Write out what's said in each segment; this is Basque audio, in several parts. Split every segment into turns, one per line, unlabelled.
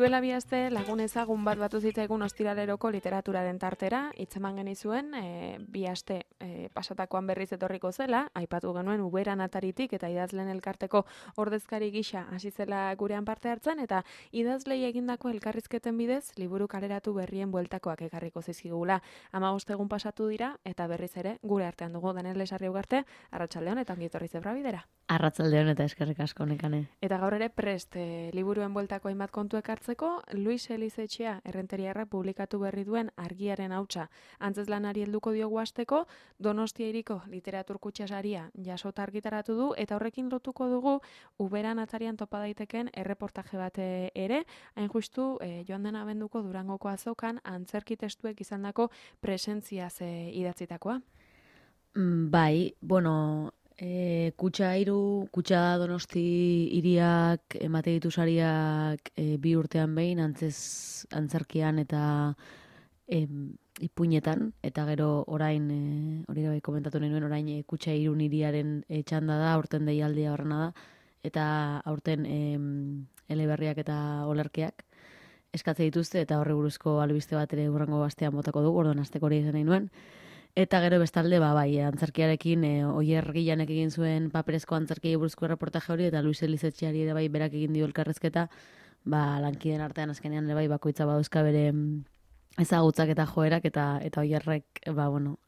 Duela bi aste lagun ezagun bat batu zitzaigun ostiraleroko literaturaren tartera, hitzeman genizuen, bi aste pasatakoan berriz etorriko zela, aipatu genuen Uberan ataritik eta idazleen elkarteko ordezkari gisa hasi zela gurean parte hartzen, eta idazlei egindako elkarrizketen bidez, liburu kaleratu berrien bueltakoak ekarriko zizkigula. 15 egun pasatu dira, eta berriz ere gure artean dugu Daniel Lesarri ugarte, arratsaldeon eta ongi etorri Zebra Bidera.
Arratsaldeon eta eskerrik asko nekane.
Eta gaur ere prest liburuen bueltako hainbat kontu ekartzeko, Luis Elizetxea Errenteriarrak publikatu berri duen Argiaren hautsa antzezlanari helduko diogu hasteko, Donostia hiriko literatur kutxa saria jasota argitaratu du, eta horrekin lotuko dugu Uberan atarian topa daiteken erreportaje bat ere, hain justu joan den abenduko Durangoko azokan antzerki testuek izandako presentziaz idatzitakoa.
Bai, bueno, kutxa Donosti hiriak emate ditu sariak 2 urtean behin antzerkian eta ipuinetan, eta gero orain, hori gabe komentatu nahi nuen, orain kutxa Irun hiriaren txanda da, aurten deialdia horrena da, eta aurten eleberriak eta olerkeak eskatze dituzte, eta horri buruzko albiste bat ere hurrengo astean botako dugu, orduan asteko hori izan nahi nuen. Eta gero bestalde, bai, antzerkiarekin, Oier Gilanek egin zuen paperezko antzerkiei buruzko erreportaje hori, eta Luis Elizetxeari ere bai berak egin dio elkarrezketa, lankideen artean azkenean ere bai bakoitza badauzka bere ezagutzak eta joerak, eta Oierrek,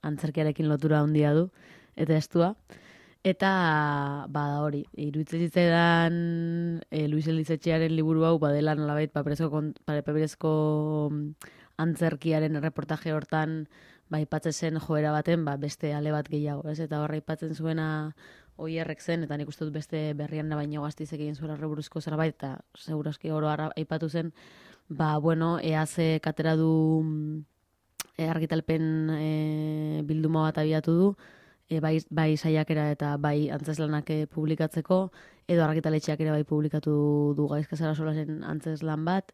antzerkiarekin lotura handia du, eta estua. Eta, hori, iruditzen zitzaidan Luis Elizetxearen liburu hau, badela nolabait paperezko antzerkiaren erreportaje hortan, aipatzen zen joera baten, beste ale bat gehiago, ez? Eta horra aipatzen zuena Oierrek zen, eta nik uste dut beste berrian baino Gaztizek egin zuela buruzko zerbait, eta segurazki oro aipatu zen, EAZ katera du argitalpen bilduma bat abiatu du, bai saiakera eta bai antzeslanak publikatzeko, edo argitaletxeak ere bai publikatu du Gaizka Sarasolaren antzeslan bat,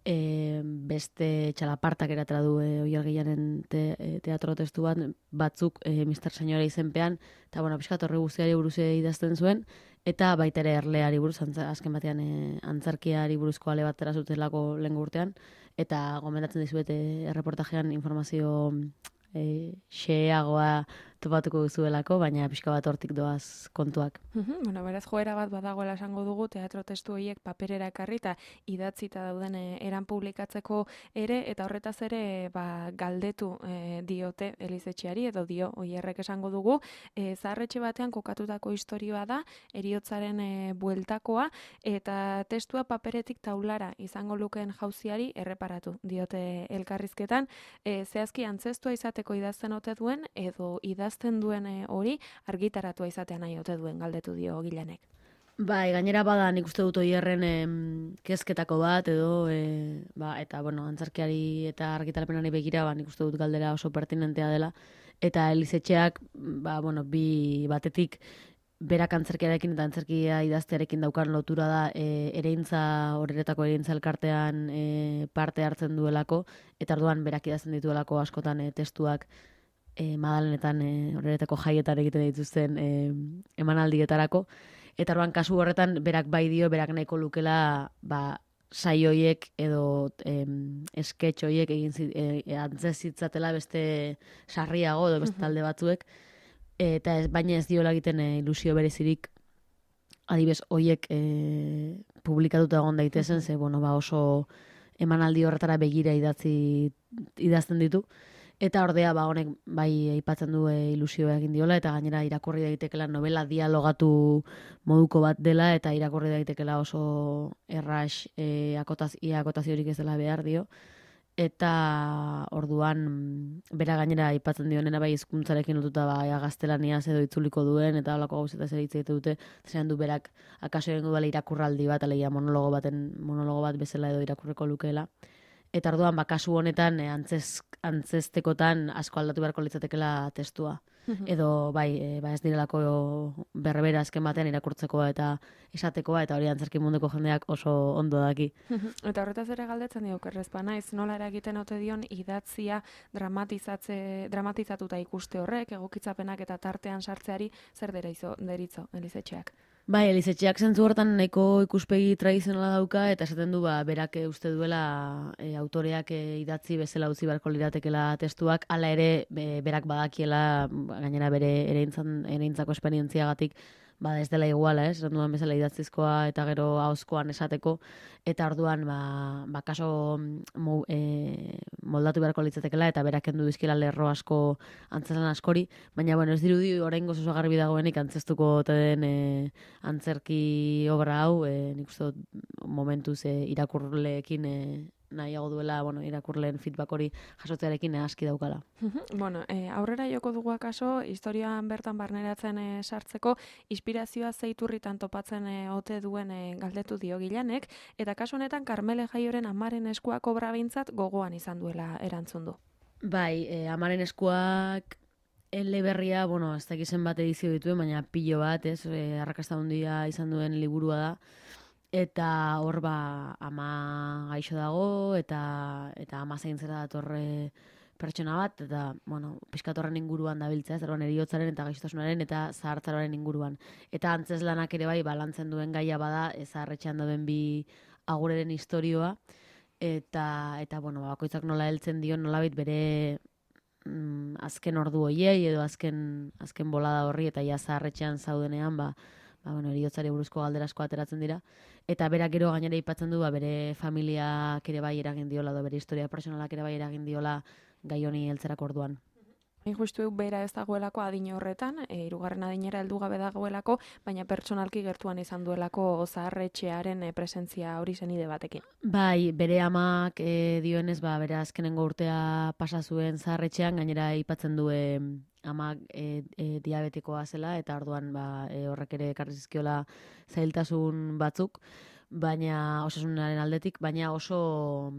beste txalapartak eratera du Oier Gilanen teatro testu bat, batzuk Mr. Senyora izenpean, eta pixkat horre guztiari buruz idazten zuen, eta baita ere erleari buruz, azken batean antzerkiari buruzko ale bat erazutelako lehen urtean, eta gomendatzen dizuet erreportajean informazio xeagoa topatuko duzuelako, baina pixka bat hortik doaz kontuak.
Beraz joera bat badagoela esango dugu, teatro testu horiek paperera ekarri eta idatzita dauden eran publikatzeko ere, eta horretaz ere galdetu diote Elizetxeari, edo dio Oierrek esango dugu, zaharretxe batean kokatutako istorioa da, heriotzaren bueltakoa, eta testua paperetik taulara izango lukeen jauziari erreparatu diote elkarrizketan, zehazki antzestua izateko idazten ote duen, edo idazten duen hori argitaratua izatea nahi ote duen, galdetu dio Gilanek.
Bai, gainera bada nik uste dut Oierren kezketako bat, edo, eta, antzerkiari eta argitalpenari begira, nik uste dut galdera oso pertinentea dela, eta Elizetxeak, bi batetik, berak antzerkiarekin eta antzerkia idaztearekin daukan lotura da horretako ereintza elkartean parte hartzen duelako, eta orduan berak idazten dituelako askotan testuak Madalenetan horretako jaietan egiten dituzten emanaldietarako, eta orduan kasu horretan berak bai dio, berak nahiko lukela saioiek edo sketch horiek antzezitzatela beste sarriago edo beste talde batzuek, eta baina ez diola egiten ilusio berezirik adibez horiek publikatuta egon daitezen, ze oso emanaldi horretara begira idazten ditu, eta ordea honek bai aipatzen du ilusioa egin diola, eta gainera irakurri daitekela novela dialogatu moduko bat dela, eta irakurri daitekela oso erras akotaziorik ez dela behar dio. Eta orduan bera gainera aipatzen dionena bai hizkuntzarekin lotuta gaztelaniaz edo itzuliko duen, eta holako gauzetaz ere hitz egiten dute, zeran du berak akaso egingo dela irakurraldi bat, alegia monologo bat bezala edo irakurreko lukeela. Eta orduan kasu honetan antzestekotan asko aldatu beharko litzatekela testua. Edo ez direlako berbera azken batean irakurtzekoa eta esatekoa, eta hori antzerki munduko jendeak oso ondo daki.
Eta horretaz ere galdetzen dio, kerrezpa naiz, nola eragiten ote dion idatzia dramatizatuta ikuste horrek, egokitzapenak eta tartean sartzeari zer deritzo Elizetxeak?
Bai, Elizetxeak zentzu hortan nahiko ikuspegi tradizionala dauka, eta esaten du, berak uste duela autoreak idatzi bezala utzi beharko liratekela testuak, hala ere berak badakiela, gainera bere ereintzako esperientziagatik, ez dela iguala, esan duan bezala idatzizkoa eta gero ahozkoan esateko, eta orduan, kaso moldatu beharko litzatekela, eta berak kendu dizkiela lerro asko antzezlan askori, baina, bueno, ez dirudi oraingoz oso garbi dagoenik antzestuko ote den antzerki obra hau, nik uste dut momentuz irakurleekin nahiago duela, irakurleen feedback hori jasotzearekin aski daukala.
Bueno, aurrera joko dugu akaso, historian bertan barneratzen sartzeko, inspirazioa zeiturritan topatzen ote duen galdetu dio Gilanek, eta kasu honetan Karmele Jaioren amaren eskuak obra behintzat gogoan izan duela erantzun du.
Bai, amaren eskuak eleberria, ez dakizen bat edizio dituen, baina pilo bat, arrakasta handia izan duen liburua da, eta hor ama gaixo dago, eta ama zaintzera datorre pertsona bat, eta, piskatorren inguruan dabiltza, zerban eriotzaren eta gaixotasunaren eta zahartzaroaren inguruan. Eta antzeslanak ere bai, balantzen duen gaia bada, zaharretxean dauden bi agureren historioa, eta bakoitzak nola heltzen dion, nolabait bere azken ordu hoiei edo azken bolada horri, eta ja zaharretxean zaudenean, eriotzari buruzko galderasko ateratzen dira. Eta berak gero gainera aipatzen du, bere familiak ere bai eragin diola, edo bere historia personalak ere bai eragin diola gai honi heltzerako orduan.
Justu bera ez dagoelako adin horretan, 3. adinera heldu gabe dagoelako, baina pertsonalki gertuan izan duelako zaharretxearen presentzia hori zenide batekin.
Bai, bere amak dioenez, bere azkenengo urtea pasa zuen zaharretxean, gainera aipatzen du amak diabetikoa zela, eta orduan horrek ere ekarri zizkiola zailtasun batzuk, baina osasunaren aldetik, baina oso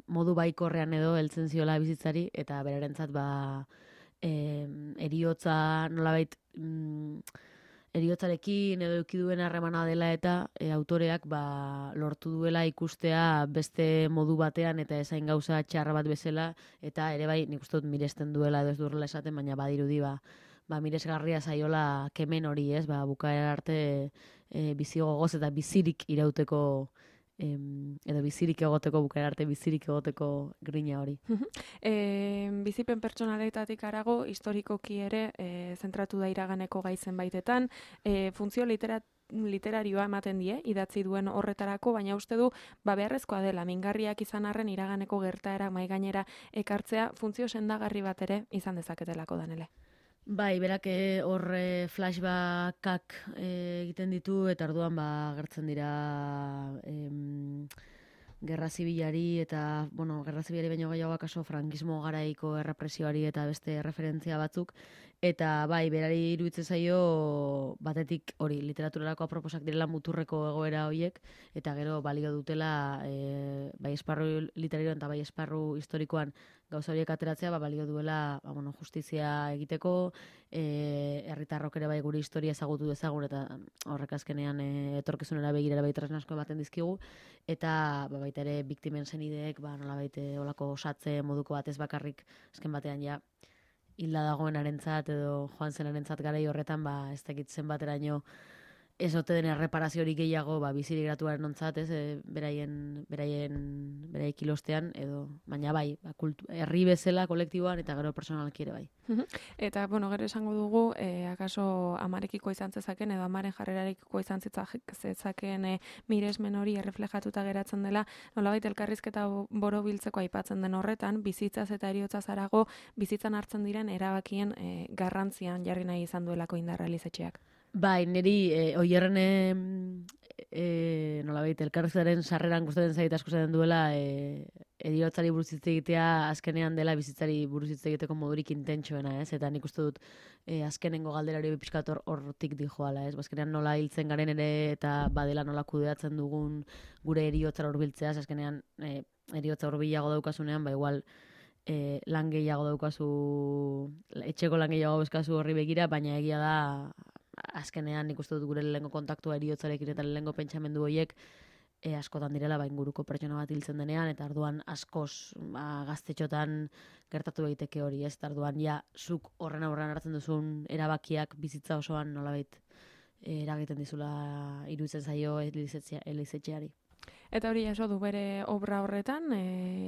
modu baikorrean edo heltzen ziola bizitzari, eta berarentzat eriotza nolabait eriotzarekin edo eduki duen harremana dela, eta autoreak lortu duela ikustea beste modu batean eta ezain gauza txarra bat bezala, eta ere bai nik uste dut miresten duela edo ez duela esaten, baina badirudi miresgarria zaiola kemen hori, bukaera arte bizi gogoz eta bizirik irauteko edo bizirik egoteko, bukaera arte bizirik egoteko grina hori.
Bizipen pertsonaletatik harago, historikoki ere zentratu da iraganeko gai zenbaitetan, funtzio literarioa ematen die, idatzi duen horretarako, baina uste du, beharrezkoa dela, mingarriak izan arren iraganeko gertaera maigainera ekartzea, funtzio sendagarri bat ere izan dezaketelako danele.
Bai, berak hor flashbackak egiten ditu, eta orduan gertzen dira gerra zibilari, eta, gerra zibilari baino gehiago akaso frankismo garaiko errepresioari eta beste referentzia batzuk, eta bai, berari iruditzen zaio batetik hori, literaturarako aproposak direla muturreko egoera horiek, eta gero balio dutela bai esparru literarioan eta bai esparru historikoan gauza horiek ateratzea, balio duela justizia egiteko, herritarrok ere bai gure historia ezagutu dezagun, eta horrek azkenean etorkizunera begirara bai tresna asko ematen dizkigu, eta baita ere biktimen senideek nolabait olako osatze moduko batez bakarrik azken batean ja hilda dagoenarentzat edo joan zenarentzat garai horretan ez dakit zenbateraino ez ote den erreparaziorik gehiago bizirik gratuaren ontzat, beraik ilostean, edo, baina bai, herri bezala, kolektiboan, eta gero personalki ere bai.
Eta, gero esango dugu, akaso amarekiko izan zezaken, edo amaren jarrerarekiko izan zezaken miresmen hori erreflejatuta geratzen dela, nolabait elkarrizketa borobiltzeko aipatzen den horretan, bizitzaz eta eriotzaz harago, bizitzan hartzen diren erabakien garrantzian jarri nahi izan duelako indarra Elizetxeak.
Bai, niri oierren nolabait elkarrizketaren sarreran gustatzen zait asko zaten duela eriotzari buruz hitz egitea azkenean dela bizitzari buruz hitz egiteko modurik intentsuena, eta nik uste dut azkenengo galderari pixkat hortik dijoala, azkenean nola hiltzen garen ere eta badela nola kudeatzen dugun gure eriotzara hurbiltzea, azkenean eriotza hurbilago daukasunean, igual lan gehiago daukazu, etxeko lan gehiago bezkazu horri begira, baina egia da azkenean nik uste dut gure lehengo kontaktua eriotzarekin eta lehengo pentsamendu horiek askotan direla inguruko pertsona bat hiltzen denean, eta arduan askoz gaztetxotan gertatu egiteke hori, eta arduan zuk horren aurrean hartzen duzun erabakiak bizitza osoan nolabait eragiten dizula iruditzen zaio Elizetxeari.
Eta hori jaso du bere obra horretan,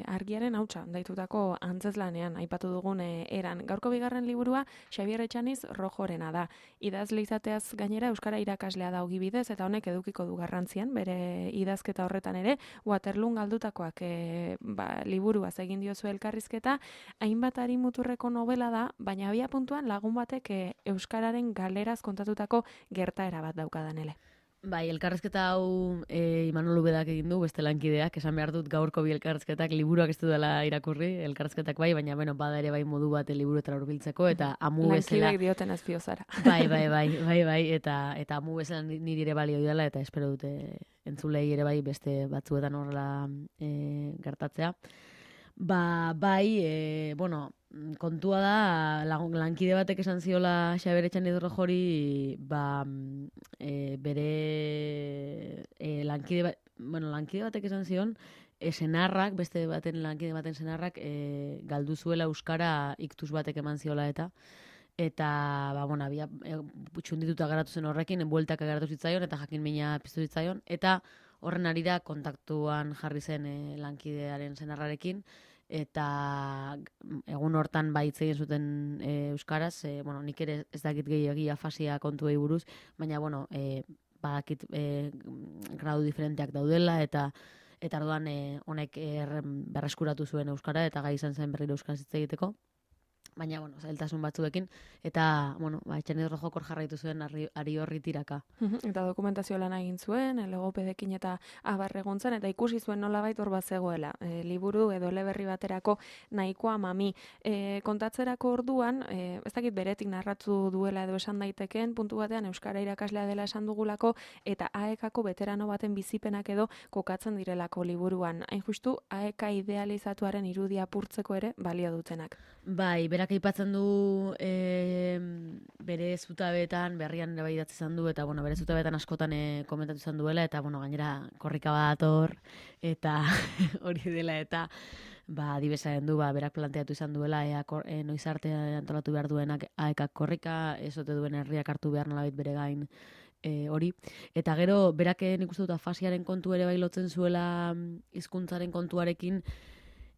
argiaren hautsa daitutako antzeslanean aipatu dugun eran. Gaurko bigarren liburua Xabier Etxaniz Rojorena da. Idazle izateaz gainera euskara irakaslea da ogibidez eta honek edukiko du garrantzian bere idazketa horretan ere. Waterloon galdutakoak liburuaz egin diozu elkarrizketa, hainbat muturreko novela da, baina abia puntuan lagun batek euskararen galeraz kontatutako gertaera bat daukadanele.
Bai, elkarrezketa hau Imanol Ubedak egin du, beste lankideak, esan behar dut gaurko bi elkarrezketak liburuak ez du dela irakurri, elkarrezketak bai, baina bada ere bai modu bat liburuetara hurbiltzeko, eta amu bezala...
Lankidek dioten azpiozara.
Bai, eta amu bezala niri ere balio dela, eta espero dute entzulei ere bai beste batzuetan horrela gertatzea. Kontua da, lankide batek esan ziola Xabier Etxaniz Rojori, bere lankide batek esan zion, senarrak, beste baten lankide baten senarrak, galdu zuela euskara iktus batek eman ziola habia txundituta garatu zen horrekin, bueltak garatu zitzaion, eta jakin mina piztu zitzaion, eta horren arira kontaktuan jarri zen lankidearen senarrarekin, eta egun hortan hitz egin zuten euskaraz, nik ere ez dakit gehiagia afasia kontuei buruz, baina badakit gradu diferenteak daudela, eta orduan honek berreskuratu zuen euskara, eta gai izan zen berriro euskaraz hitz egiteko. Baina, zailtasun batzuekin, eta, Etxaniz Rojok hor jarraitu zuen ari horri tiraka.
Eta dokumentazio lan egin zuen, logopedekin eta abarreguntzen, eta ikusi zuen nolabait hor bat zegoela. Liburu edo eleberri baterako nahikoa mami. Kontatzerako orduan, ez dakit beretik narratu duela edo esan daitekeen, puntu batean euskara irakaslea dela esan dugulako, eta AEK-ako veterano baten bizipenak edo kokatzen direlako liburuan. Hain justu, AEK idealizatuaren irudia apurtzeko ere balio dutenak.
Bai, berak aipatzen du bere zutabeetan, berrian ere bai idatzi izan du, eta bere zutabeetan askotan komentatu izan duela, eta gainera korrika bat hor, eta hori dela, eta adibesaren du, berak planteatu izan duela, noiz arte antolatu behar duenak AEK korrika, ez ote duen herriak hartu behar nolabait bere gain hori. Eta gero, berak nik uste dut afasiaren kontu ere bai lotzen zuela hizkuntzaren kontuarekin,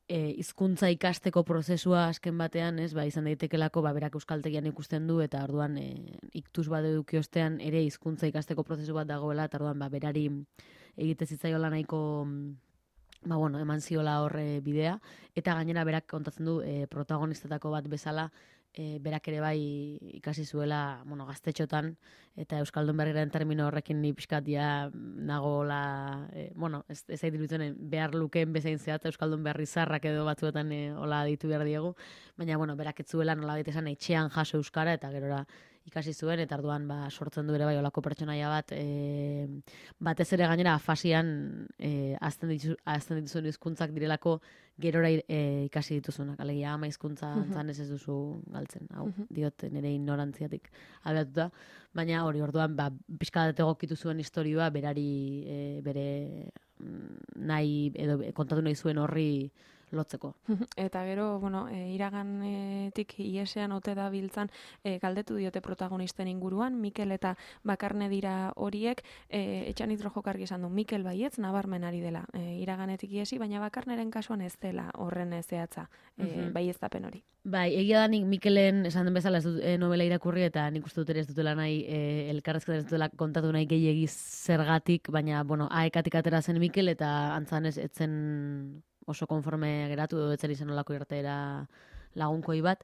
hizkuntza ikasteko prozesua azken batean, izan daitekelako berak euskaltegian ikusten du, eta orduan iktus bat eduki ostean ere hizkuntza ikasteko prozesu bat dagoela, eta orduan berari egite zitzaiola nahiko eman ziola horre bidea, eta gainera berak kontatzen du protagonistetako bat bezala, berak ere bai ikasi zuela gaztetxotan, eta euskaldun berriaren termino horrekin ni pixkat nagola, ez zait iruditzen behar lukeen bezain zehat euskaldun berri zarrak edo batzuetan hola ditu behar diegu, baina berak ez zuela nola esan etxean jaso euskara, eta gerora ikasi zuen, eta orduan sortzen du ere bai olako pertsonaia bat, batez ere gainera afasian azten dituzun hizkuntzak direlako gerora ikasi dituzunak, alegia ama hizkuntza antzan ez duzu galtzen, hau, diot nire ignorantziatik abiatuta, baina hori orduan pixkat egokitu zuen istorioa berari bere nahi, edo kontatu nahi zuen horri lotzeko.
Eta gero, iraganetik iesean ote da biltzan galdetu diote protagonisten inguruan, Mikel eta Bakarne dira horiek, Etxaniz Rojok argi esan du, Mikel baietz nabarmen ari dela iraganetik iesi, baina Bakarneren kasuan ez dela horren zehatza, baieztapen hori.
Bai, egia da nik Mikelen esan den bezala ez dut novela irakurri, eta nik uste dut ere ez dutela nahi, elkarrezketan ez dutela kontatu nahi gehiegi zergatik, baina, AEK-atik atera zen Mikel, eta antzan ez etzen oso konforme geratu, edo etzen izan olako irtera lagunkoi bat,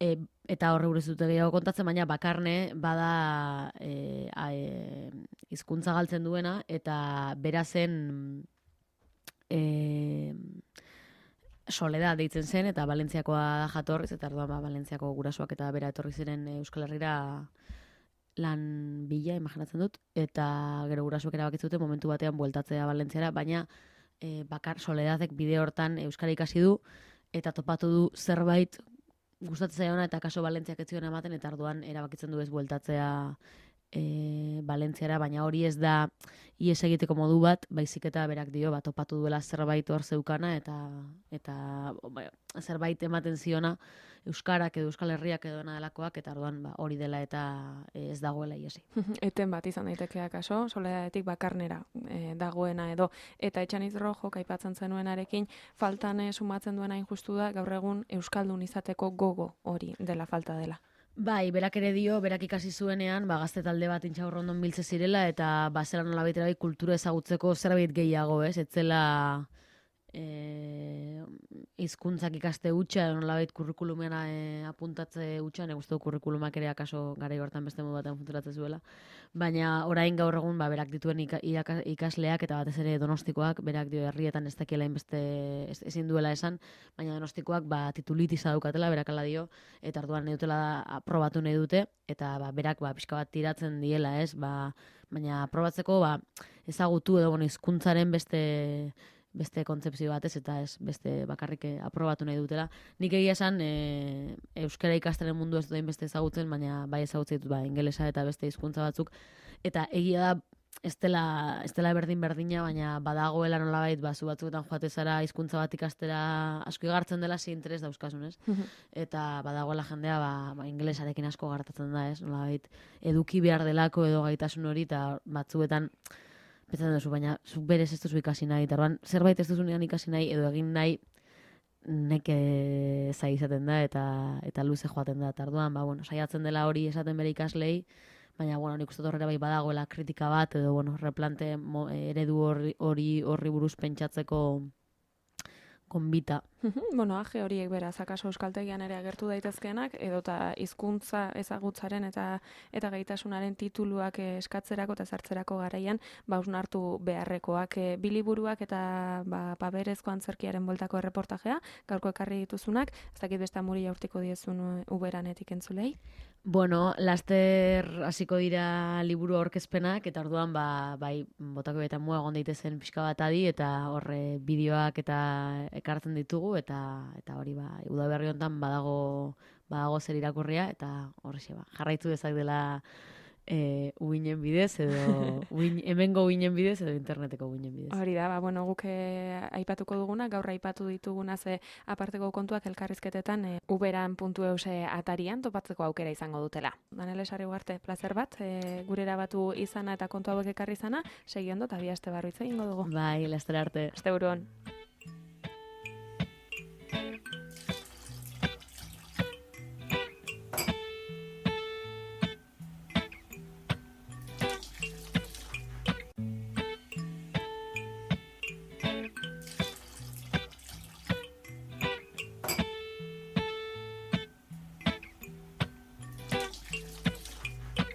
eta horre buruz dute gehiago kontatzen, baina Bakarne bada hizkuntza galtzen duena, eta berazen Soledad deitzen zen, eta Valentziakoa da jatorriz, eta orduan Valentziako gurasoak eta bera etorri ziren Euskal Herrira lan bila, imaginatzen dut, eta gero gurasoak erabakitzen dute momentu batean bueltatzea Valentziara, baina Soledadek bide hortan euskara ikasi du, eta topatu du zerbait gustatzen zaiona, eta kaso Valentziak ez zion ematen, eta orduan erabakitzen du ez bueltatzea Valentziara, baina hori ez da ies egiteko modu bat, baizik eta berak dio, topatu duela zerbait hor zeukana, eta zerbait ematen ziona Euskarak edo Euskal Herriak edo delakoak, eta orduan hori dela eta ez dagoela iesi.
Eten bat izan daitekeak kaso, soledadetik bakarnera dagoena edo. Eta Etxaniz Rojok aipatzen zenuenarekin, faltan sumatzen duena injustu da, gaur egun Euskaldun izateko gogo hori dela falta dela.
Bai, berak ere dio, berak ikasi zuenean, gazte talde bat Intxaurrondon biltze zirela, eta zela nolabait ere kultura ezagutzeko zerbait gehiago, ez? Etzela hizkuntzak ikaste hutsa, nolabait kurrikulumean apuntatze hutsa, nik uste du kurrikulumak ere akaso garai hortan beste modu batean funtzionatzen zuela. Baina orain gaur egun berak dituen ikasleak eta batez ere donostikoak, berak dio herrietan ez dakiela inbeste ezin duela esan, baina donostikoak titulitisa daukatela, berak ala dio, eta orduan nahi dutela aprobatu nahi dute, eta berak pixka bat tiratzen diela, ez? Baina aprobatzeko ezagutu edo hizkuntzaren beste kontzepzio batez, eta ez beste bakarrik aprobatu nahi dutela. Nik egia esan, euskara ikastaren mundu ez duen beste ezagutzen, baina bai ezagutzen ditut ingelesa eta beste hizkuntza batzuk. Eta egia da, ez dela berdina, baina badagoela nolabait, zu batzuetan joate zara hizkuntza bat ikastera asko igartzen dela, zi interes dauzkasun, ez? Eta badagoela jendea, ingelesarekin asko gartatzen da, ez? Nolabait, eduki behar delako edo gaitasun hori, eta batzuetan pentsatzen duzu, baina zuk berez ez duzu ikasi nahi, eta orduan zerbait ez duzu ikasi nahi, edo egin nahi neke zai izaten da, eta luze joaten da, eta orduan, saiatzen dela hori esaten bere ikaslei, baina, nik uste horrela badagoela kritika bat, edo, replante eredu horri buruz pentsatzeko konbita.
Age horiek beraz, akaso euskaltegian ere agertu daitezkeenak, edota hizkuntza ezagutzaren eta gaitasunaren tituluak eskatzerako eta sartzerako garaian, hausnartu beharrekoak biliburuak eta paperezko antzerkiaren bueltako erreportajea, gaurko ekarri dituzunak, ez dakit beste amuri jaurtiko diezun uberanetik entzulei?
Laster hasiko dira liburu aurkezpenak, eta orduan botako eta mua egon daitezen pixka bat adi, eta horre bideoak eta ekartzen ditugu, eta hori udaberri honetan badago zer irakurria, eta horrexe jarraitu dezak dela uinen bidez, edo hemengo uinen bidez, edo interneteko uinen bidez.
Hori da, guk aipatuko duguna, gaur aipatu dituguna aparteko kontuak elkarrizketetan uberan.eus atarian topatzeko aukera izango dutela. Danele Sarri Ugarte, plazer bat, gure erabatu izana eta kontu hauek ekarri izana, segi ondo, eta bi aste barru hitz egingo dugu.
Bai, laster arte.
Aste buruan.